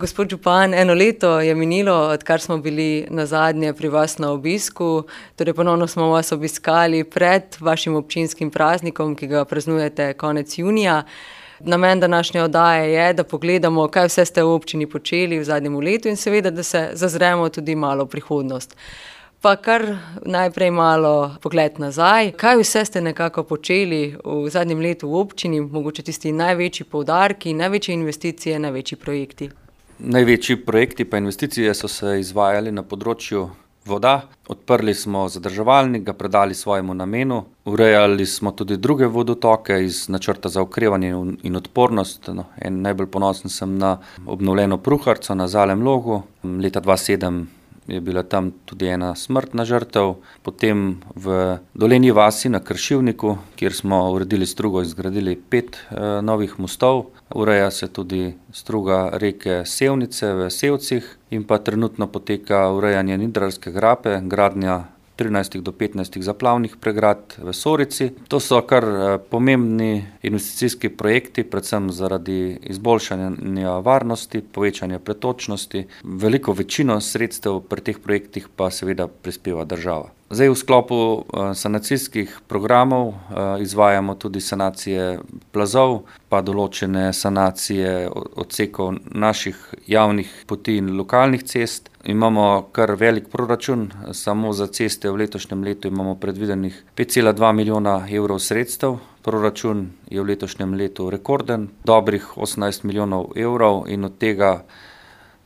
Gospod župan, 1 leto je minilo, odkar smo bili nazadnje pri vas na obisku. Torej ponovno smo vas obiskali pred vašim občinskim praznikom, ki ga praznujete konec junija. Namen današnje oddaje je, da pogledamo, kaj vse ste v občini počeli v zadnjem letu in seveda, da se zazremo tudi malo v prihodnost. Pa kar najprej malo pogled nazaj. Kaj vse ste nekako počeli v zadnjem letu v občini, mogoče tisti največji poudarki, največje investicije, največji projekti? Največji projekti pa investicije so se izvajali na področju voda. Odprli smo zadrževalnik, ga predali svojemu namenu. Urejali smo tudi druge vodotoke iz načrta za okrevanje in odpornost. Najbolj ponosen sem na obnovljeno Pruharco na Zalem Logu. Leta 2007 je bila tam tudi ena smrtna žrtev. Potem v Dolenji vasi na Kršivniku, kjer smo uredili strugo in zgradili 5 novih mostov. Ureja se tudi struga reke Sevnice v Sevcih in pa trenutno poteka urejanje Nidrarske grape, gradnja 13 do 15 zaplavnih pregrad v Sorici. To so kar pomembni investicijski projekti, predvsem zaradi izboljšanja varnosti, povečanja pretočnosti. Veliko večino sredstev pri teh projektih pa seveda prispeva država. Zdaj v sklopu sanacijskih programov izvajamo tudi sanacije plazov, pa določene sanacije odsekov naših javnih poti in lokalnih cest. Imamo kar velik proračun, samo za ceste v letošnjem letu imamo predvidenih 5,2 milijona evrov sredstev. Proračun je v letošnjem letu rekorden, dobrih 18 milijonov evrov in od tega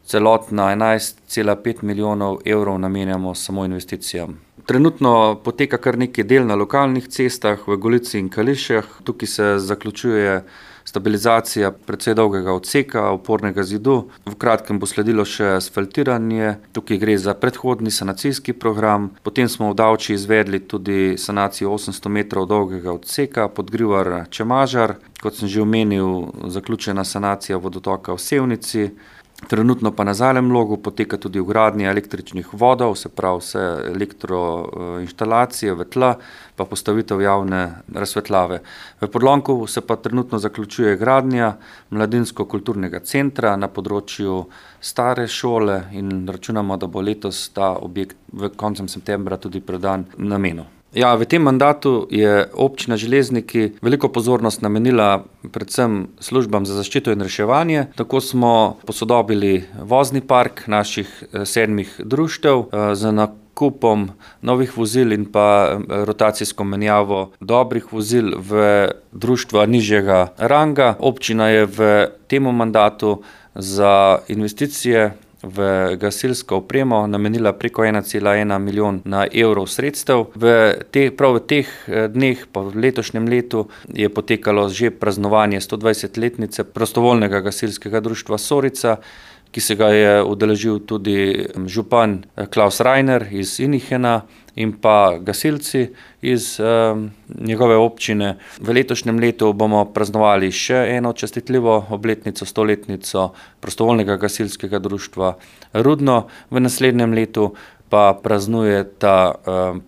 celotna 11,5 milijonov evrov namenjamo samo investicijam. Trenutno poteka kar nekaj del na lokalnih cestah v Golici in Kališah. Tukaj se zaključuje stabilizacija precej dolgega odseka, opornega zidu. V kratkem bo sledilo še asfaltiranje. Tukaj gre za predhodni sanacijski program. Potem smo v Davči izvedli tudi sanacijo 800 metrov dolgega odseka Podgrivar-Čemažar. Kot sem že omenil, zaključena sanacija vodotoka v Sevnici. Trenutno pa na Zalem Logu poteka tudi vgradnja električnih vodov, se pravi vse elektroinštalacije v tla, pa postavitev javne razsvetljave. V Podlonku se pa trenutno zaključuje gradnja mladinsko-kulturnega centra na področju stare šole in računamo, da bo letos ta objekt v koncem septembra tudi predan namenu. Ja, v tem mandatu je občina Železniki veliko pozornost namenila predvsem službam za zaščito in reševanje. Tako smo posodobili vozni park naših 7 društev z nakupom novih vozil in pa rotacijsko menjavo dobrih vozil v društva nižjega ranga. Občina je v tem mandatu za investicije v gasilsko opremo namenila preko 1,1 milijona evrov sredstev. Prav v teh dneh, pa v letošnjem letu, je potekalo že praznovanje 120-letnice prostovoljnega gasilskega društva Sorica, ki se ga je udeležil tudi župan Klaus Reiner iz Inihena in pa gasilci iz njegove občine. V letošnjem letu bomo praznovali še eno častitljivo obletnico, 100-letnico prostovoljnega gasilskega društva Rudno. V naslednjem letu pa praznuje ta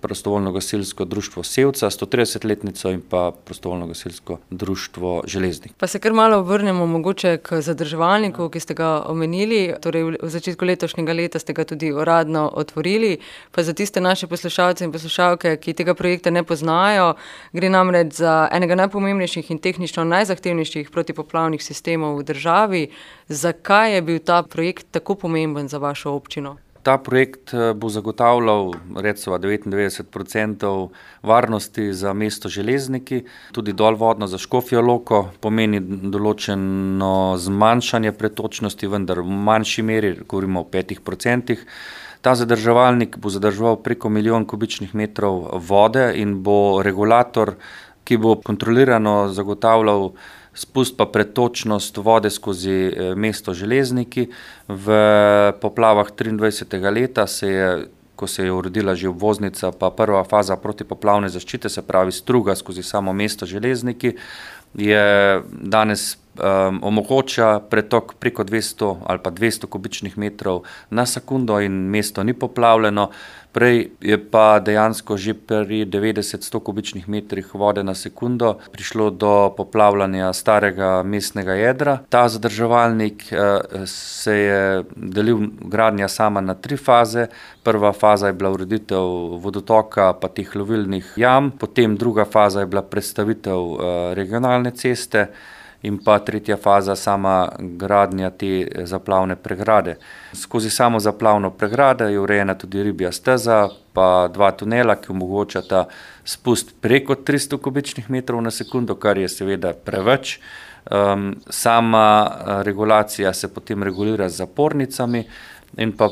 prostovoljno gasilsko društvo Sevca, 130-letnico in pa prostovoljno gasilsko društvo Železnik. Pa se kar malo vrnemo mogoče k zadrževalniku, ki ste ga omenili. Torej v začetku letošnjega leta ste ga tudi uradno otvorili. Pa za tiste naše poslušalce in poslušalke, ki tega projekta ne poznajo, gre namreč za enega najpomembnejših in tehnično najzahtevnejših protipoplavnih sistemov v državi. Zakaj je bil ta projekt tako pomemben za vašo občino? Ta projekt bo zagotavljal recimo 99% varnosti za mesto Železniki, tudi dolvodno za Škofjo Loko, pomeni določeno zmanjšanje pretočnosti, vendar v manjši meri, govorimo o 5%. Ta zadrževalnik bo zadrževal preko 1 milijon kubičnih metrov vode in bo regulator, ki bo kontrolirano zagotavljal spust pa pretočnost vode skozi mesto Železniki. V poplavah 23. leta ko se je uredila že obvoznica, pa prva faza protipoplavne zaščite, se pravi struga skozi samo mesto Železniki, je danes omogoča pretok preko 200 ali pa 200 kubičnih metrov na sekundo in mesto ni poplavljeno. Prej je pa dejansko že pri 90-100 kubičnih metrih vode na sekundo prišlo do poplavljanja starega mestnega jedra. Ta zadrževalnik se je delil gradnja sama na 3 faze. Prva faza je bila ureditev vodotoka pa teh lovilnih jam, potem druga faza je bila predstavitev regionalne ceste in pa tretja faza sama gradnja te zaplavne pregrade. Skozi samo zaplavno pregrado je urejena tudi ribja steza pa 2 tunela, ki omogočata spust preko 300 kubičnih metrov na sekundo, kar je seveda preveč. Sama regulacija se potem regulira z zapornicami in pa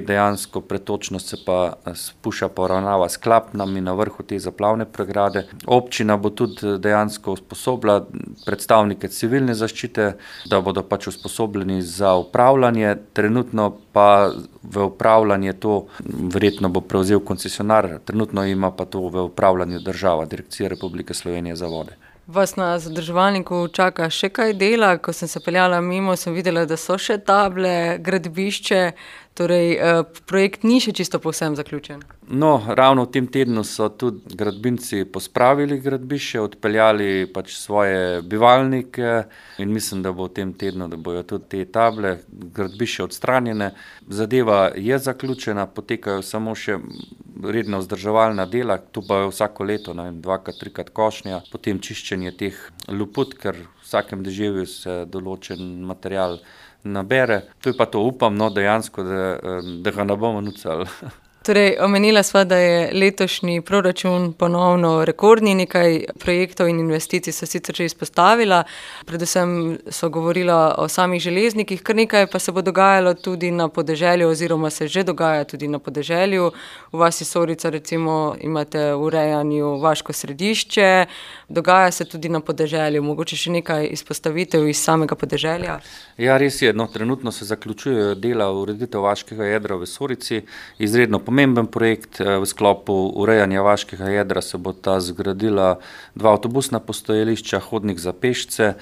dejansko pretočnost se pa spušča poravnava s klapnami na vrhu te zaplavne pregrade. Občina bo tudi dejansko usposobila predstavnike civilne zaščite, da bodo pač usposobljeni za upravljanje. Trenutno pa v upravljanje to verjetno bo prevzel koncesionar, trenutno ima pa to v upravljanju država, Direkcija Republike Slovenije za vode. Vas na zadrževalniku čaka še kaj dela? Ko sem se peljala mimo, sem videla, da so še table, gradbišče, torej projekt ni še čisto povsem zaključen. No, ravno v tem tednu so tudi gradbinci pospravili gradbišče, odpeljali pač svoje bivalnike in mislim, da bo v tem tednu, da bojo tudi te table, gradbišče odstranjene. Zadeva je zaključena, potekajo samo še redna vzdrževalna dela, tu pa je vsako leto, 2-krat, 3-krat košnja, potem čiščenje teh luput, ker v vsakem deževju se določen material nabere. To je pa to, upam, dejansko, da ga ne bomo nucali. Torej, omenila sva, da je letošnji proračun ponovno rekordni, nekaj projektov in investicij so sicer že izpostavila, predvsem so govorila o samih železnikih, kar nekaj pa se bo dogajalo tudi na podeželju oziroma se že dogaja tudi na podeželju. V vasi Sorica recimo imate v urejanju vaško središče, dogaja se tudi na podeželju, mogoče še nekaj izpostavitev iz samega podeželja? Ja, res je, trenutno se zaključujejo dela ureditev vaškega jedra v Sorici, izredno pomemben projekt. V sklopu urejanja vaškega jedra se bo ta zgradila 2 avtobusna postajališča, hodnik za pešce.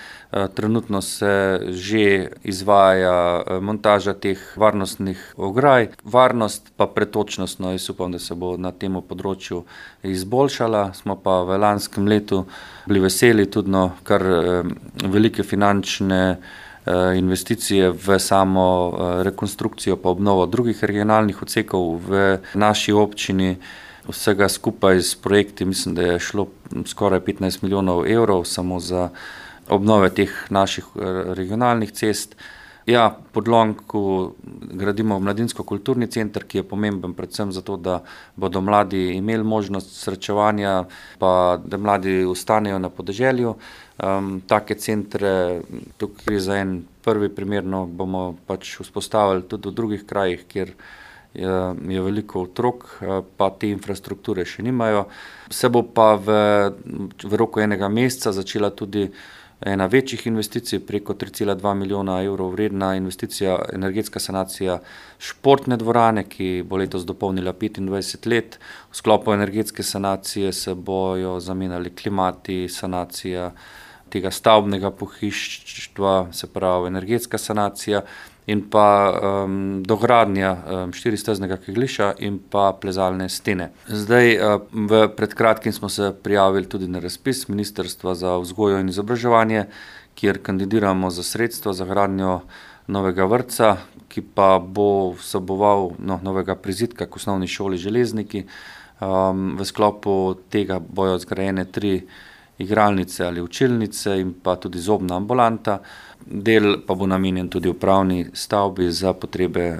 Trenutno se že izvaja montaža teh varnostnih ograj. Varnost pa pretočnost, jaz upam, da se bo na tem področju izboljšala. Smo pa v lanskem letu bili veseli tudi kar velike finančne investicije v samo rekonstrukcijo pa obnovo drugih regionalnih odsekov v naši občini. Vsega skupaj s projekti mislim, da je šlo skoraj 15 milijonov evrov samo za obnove teh naših regionalnih cest. Ja, pod Lonku gradimo mladinsko-kulturni center, ki je pomemben predvsem zato, da bodo mladi imeli možnost srečevanja, pa da mladi ostanejo na podeželju. Take centre, tukaj gre za en prvi primer, bomo pač vzpostavili tudi v drugih krajih, kjer je veliko otrok, pa te infrastrukture še nimajo. Se bo pa v roku enega meseca začela tudi ena večjih investicij, preko 3,2 milijona evrov vredna investicija, energetska sanacija športne dvorane, ki bo letos dopolnila 25 let. V sklopu energetske sanacije se bojo zamenjali klimati, sanacija tega stavbnega pohištva, se pravi energetska sanacija in pa dogradnja 4-steznega kegljišča in pa plezalne stene. Zdaj, pred kratkim smo se prijavili tudi na razpis Ministrstva za vzgojo in izobraževanje, kjer kandidiramo za sredstva za gradnjo novega vrtca, ki pa bo vseboval novega prizidka k osnovni šoli Železniki. V sklopu tega bojo zgrajene 3 igralnice ali učilnice in pa tudi zobna ambulanta. Del pa bo namenjen tudi upravni stavbi za potrebe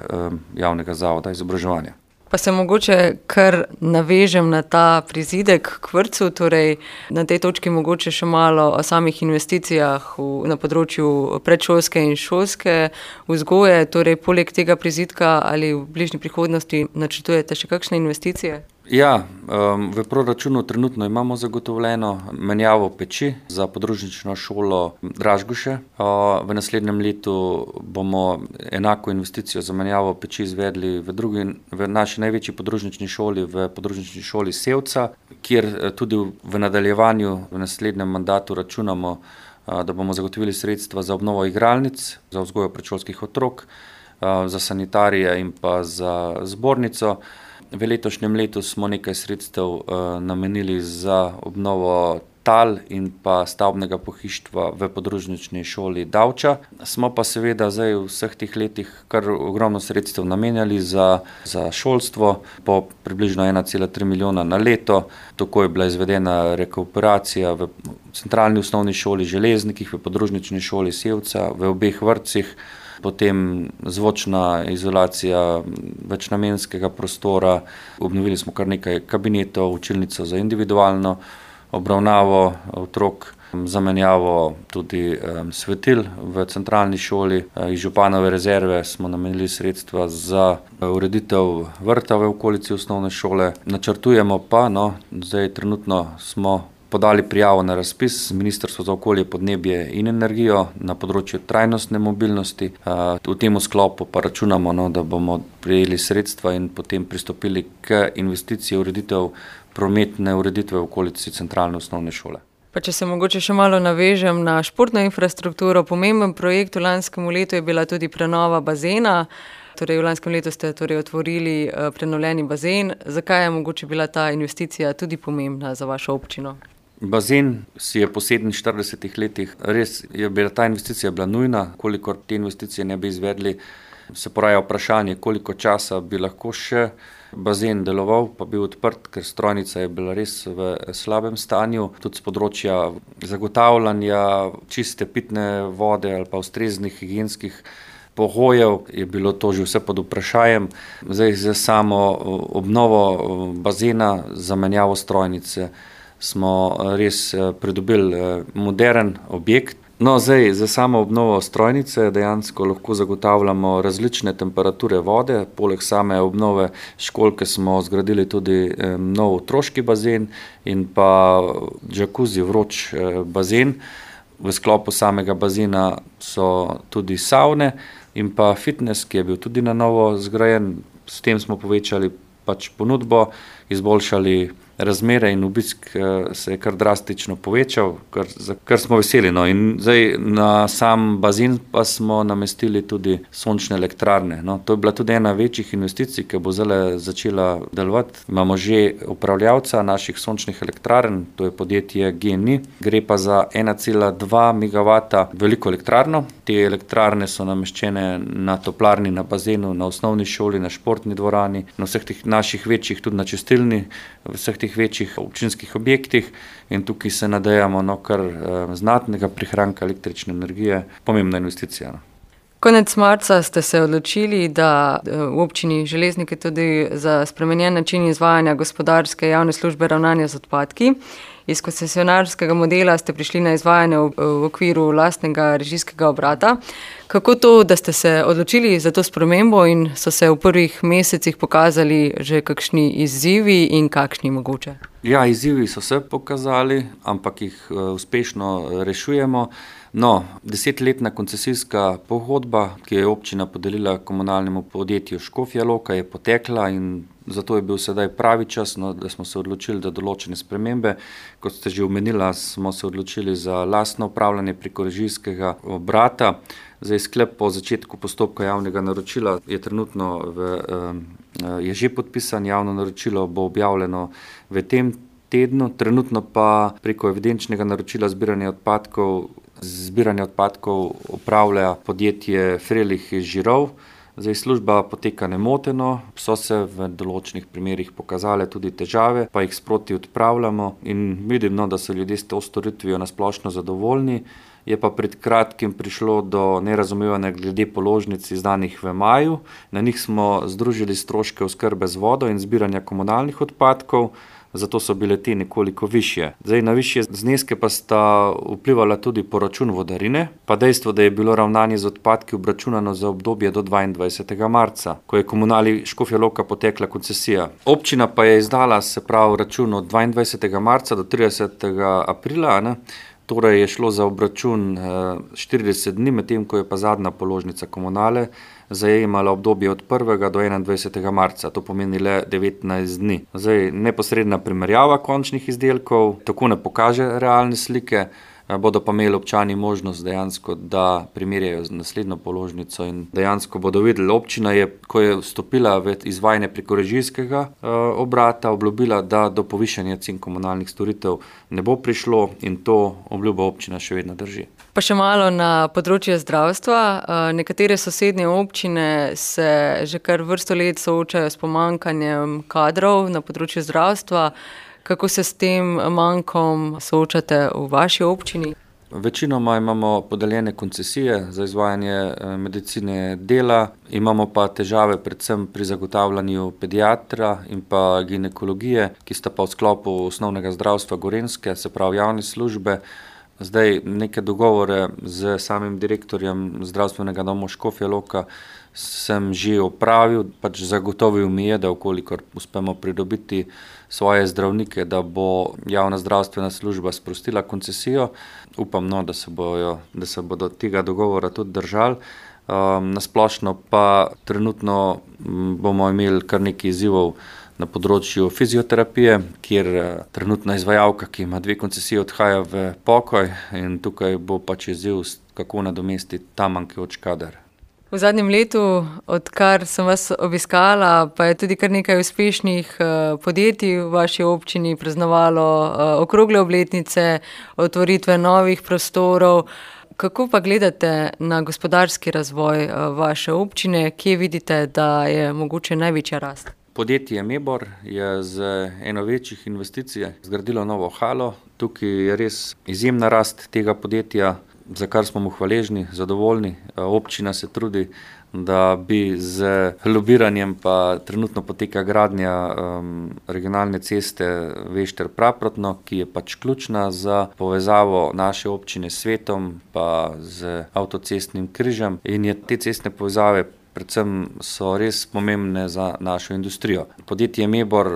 javnega zavoda izobraževanja. Pa se mogoče kar navežem na ta prizidek k vrtcu, torej na tej točki mogoče še malo o samih investicijah na področju predšolske in šolske vzgoje, torej poleg tega prizidka ali v bližnji prihodnosti načrtujete še kakšne investicije? Ja, v proračunu trenutno imamo zagotovljeno menjavo peči za podružnično šolo Dražgoše. V naslednjem letu bomo enako investicijo za menjavo peči izvedli v naši največji podružnični šoli, v podružnični šoli Sevca, kjer tudi v nadaljevanju v naslednjem mandatu računamo da bomo zagotovili sredstva za obnovo igralnic, za vzgojo predšolskih otrok, za sanitarije in pa za zbornico. V letošnjem letu smo nekaj sredstev namenili za obnovo tal in pa stavbnega pohištva v podružnični šoli Davča. Smo pa seveda zdaj v vseh teh letih kar ogromno sredstev namenjali za šolstvo, po približno 1,3 milijona na leto. Tako je bila izvedena rekuperacija v centralni osnovni šoli Železnikih, v podružnični šoli Sevca, v obeh vrtcih, potem zvočna izolacija večnamenskega prostora, obnovili smo kar nekaj kabinetov, učilnico za individualno obravnavo otrok, zamenjavo tudi svetil v centralni šoli. Iz županove rezerve smo namenili sredstva za ureditev vrta v okolici osnovne šole. Načrtujemo pa, zdaj trenutno smo podali prijavo na razpis Ministrstva za okolje, podnebje in energijo na področju trajnostne mobilnosti. V tem sklopu pa računamo, da bomo prejeli sredstva in potem pristopili k investiciji ureditev prometne ureditve v okolici centralne osnovne šole. Pa če se mogoče še malo navežem na športno infrastrukturo, pomemben projekt v lanskem letu je bila tudi prenova bazena. Torej v lanskem letu ste otvorili prenovljeni bazen. Zakaj je mogoče bila ta investicija tudi pomembna za vašo občino? Bazen si je po 47 letih, res je bila ta investicija nujna, kolikor te investicije ne bi izvedli, se poraja vprašanje, koliko časa bi lahko še bazen deloval, pa bil odprt, ker strojnica je bila res v slabem stanju, tudi z področja zagotavljanja čiste pitne vode ali pa ustreznih higienskih pogojev je bilo to že vse pod vprašanjem. Zdaj za samo obnovo bazena, zamenjavo strojnice smo res pridobili modern objekt. Zdaj za samo obnovo strojnice dejansko lahko zagotavljamo različne temperature vode. Poleg same obnove školke smo zgradili tudi nov otroški bazen in pa džakuzi, vroč bazen. V sklopu samega bazena so tudi savne in pa fitness, ki je bil tudi na novo zgrajen. S tem smo povečali ponudbo, izboljšali razmere in obisk se je kar drastično povečal, kar smo veseli. In zdaj na sam bazen pa smo namestili tudi sončne elektrarne. To je bila tudi ena večjih investicij, ki bo zdaj začela delovati. Imamo že upravljavca naših sončnih elektrarn, to je podjetje GENI. Gre pa za 1,2 megavata veliko elektrarno. Te elektrarne so nameščene na toplarni, na bazenu, na osnovni šoli, na športni dvorani, na vseh teh naših večjih, tudi na čistilni, vseh teh večjih občinskih objektih in tukaj se nadejamo kar znatnega prihranka električne energije. Pomembna investicija. Konec marca ste se odločili, da v občini Železniki tudi za spremenjen način izvajanja gospodarske javne službe ravnanja z odpadki. Iz koncesionarskega modela ste prišli na izvajanje v okviru lastnega režijskega obrata. Kako to, da ste se odločili za to spremembo in so se v prvih mesecih pokazali že kakšni izzivi in kakšni mogoče? Ja, izzivi so se pokazali, ampak jih uspešno rešujemo. 10-letna koncesijska pogodba, ki je občina podelila komunalnemu podjetju Škofja Loka, je potekla in zato je bil sedaj pravi čas, da smo se odločili za določene spremembe. Kot ste že omenila, smo se odločili za lastno upravljanje preko režijskega obrata. Zdaj sklep po začetku postopka javnega naročila je trenutno je že podpisan, javno naročilo bo objavljeno v tem tednu, trenutno pa preko evidenčnega naročila zbiranje odpadkov upravlja podjetje Frelih iz Žirov. Zdaj služba poteka nemoteno, so se v določenih primerih pokazale tudi težave, pa jih sproti odpravljamo in vidim, da so ljudje s to storitvijo nasplošno zadovoljni. Je pa pred kratkim prišlo do nerazumevanja glede položnic izdanih v maju. Na njih smo združili stroške oskrbe z vodo in zbiranja komunalnih odpadkov, zato so bile te nekoliko višje. Zdaj na višje zneske pa sta vplivala tudi poračun vodarine, pa dejstvo, da je bilo ravnanje z odpadki obračunano za obdobje do 22. marca, ko je komunali Škofja Loka potekla koncesija. Občina pa je izdala račun od 22. marca do 30. aprila, torej je šlo za obračun 40 dni, medtem ko je pa zadnja položnica komunale zajemala obdobje od 1. do 21. marca, to pomeni le 19 dni. Zdaj, neposredna primerjava končnih izdelkov tako ne pokaže realne slike, bodo pa imeli občani možnost dejansko, da primerjajo z naslednjo položnico in dejansko bodo videli. Občina je, ko je vstopila v izvajanje preko režijskega obrata, obljubila, da do povišanja cen komunalnih storitev ne bo prišlo in to obljubo občina še vedno drži. Pa še malo na področje zdravstva. Nekatere sosednje občine se že kar vrsto let soočajo s pomanjkanjem kadrov na področju zdravstva. Kako se s tem mankom soočate v vaši občini? Večinoma imamo podeljene koncesije za izvajanje medicine dela, imamo pa težave predvsem pri zagotavljanju pediatra in pa ginekologije, ki sta pa v sklopu osnovnega zdravstva Gorenjske, se pravi javne službe. Zdaj neke dogovore z samim direktorjem zdravstvenega doma Škofja Loka sem že opravil, pač zagotovil mi je, da vkolikor uspemo pridobiti svoje zdravnike, da bo javna zdravstvena služba sprostila koncesijo. Upam, da se bodo tega dogovora tudi držali. Nasplošno pa trenutno bomo imeli kar nekaj izzivov na področju fizioterapije, kjer trenutna izvajalka, ki ima 2 koncesije, odhaja v pokoj in tukaj bo pač izziv, kako nadomestiti ta manjkajoč kader. V zadnjem letu, odkar sem vas obiskala, pa je tudi kar nekaj uspešnih podjetij v vaši občini praznovalo okrogle obletnice, otvoritve novih prostorov. Kako pa gledate na gospodarski razvoj vaše občine? Kje vidite, da je mogoče največja rast? Podjetje Mebor je z eno večjih investicij zgradilo novo halo. Tukaj je res izjemna rast tega podjetja, za kar smo mu hvaležni, zadovoljni. Občina se trudi, da bi z lobiranjem, pa trenutno poteka gradnja regionalne ceste Vešter-Praprotno, ki je pač ključna za povezavo naše občine s svetom, pa z avtocestnim križem. In je te cestne povezave predvsem so res pomembne za našo industrijo. Podjetje Mebor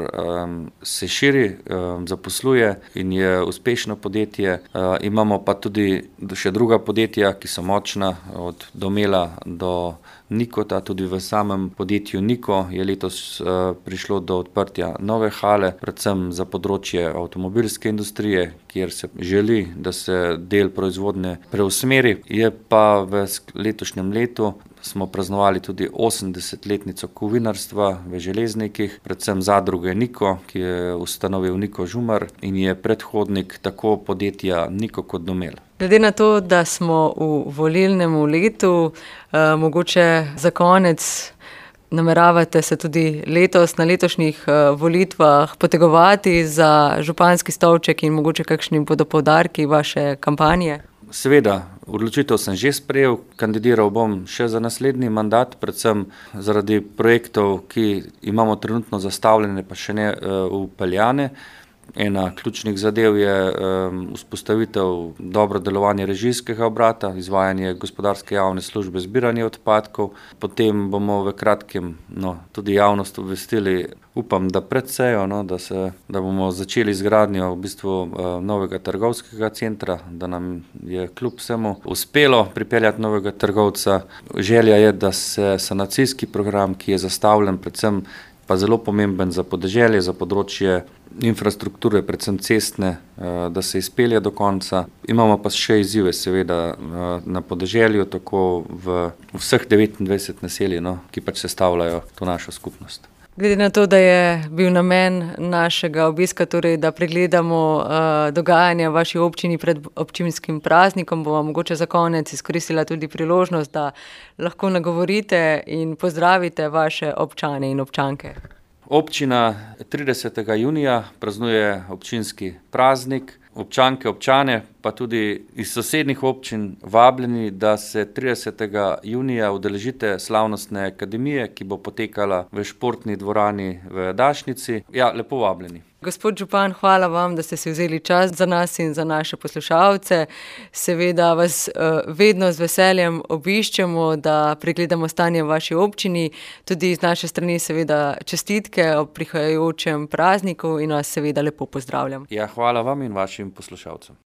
se širi, zaposluje in je uspešno podjetje. Imamo pa tudi še druga podjetja, ki so močna, od Domela do Nikota. Tudi v samem podjetju Niko je letos prišlo do odprtja nove hale, predvsem za področje avtomobilske industrije, kjer se želi, da se del proizvodnje preusmeri. Je pa v letošnjem letu smo praznovali tudi 80-letnico kovinarstva v Železnikih, predvsem zadruge Niko, ki je ustanovil Niko Žumar in je predhodnik tako podjetja Niko kot Domel. Glede na to, da smo v volilnem letu, mogoče za konec nameravate se tudi letos na letošnjih volitvah potegovati za županski stolček in mogoče kakšni bodo poudarki vaše kampanje? Seveda, odločitev sem že sprejel, kandidiral bom še za naslednji mandat, predvsem zaradi projektov, ki imamo trenutno zastavljene, pa še ne vpeljane. Ena ključnih zadev je vzpostavitev dobro delovanja režijskega obrata, izvajanje gospodarske javne službe zbiranja odpadkov. Potem bomo v kratkem tudi javnost obvestili, upam, da pred sejo, da bomo začeli izgradnjo v bistvu novega trgovskega centra, da nam je kljub vsemu uspelo pripeljati novega trgovca. Želja je, da se sanacijski program, ki je zastavljen predvsem pa zelo pomemben za podeželje, za področje infrastrukture, predvsem cestne, da se izpelje do konca. Imamo pa še izzive seveda na podeželju, tako v vseh 29 naselij, ki pač sestavljajo to našo skupnost. Glede na to, da je bil namen našega obiska, torej da pregledamo dogajanje v vaši občini pred občinskim praznikom, bom mogoče za konec izkoristila tudi priložnost, da lahko nagovorite in pozdravite vaše občane in občanke. Občina 30. junija praznuje občinski praznik. Občanke, občane, pa tudi iz sosednjih občin vabljeni, da se 30. junija udeležite slavnostne akademije, ki bo potekala v športni dvorani v Dašnici. Ja, lepo vabljeni. Gospod župan, hvala vam, da ste si vzeli čas za nas in za naše poslušalce. Seveda vas vedno z veseljem obiščemo, da pregledamo stanje v vaši občini. Tudi z naše strani seveda čestitke ob prihajajočem prazniku in vas seveda lepo pozdravljam. Ja, hvala vam in vašim poslušalcem.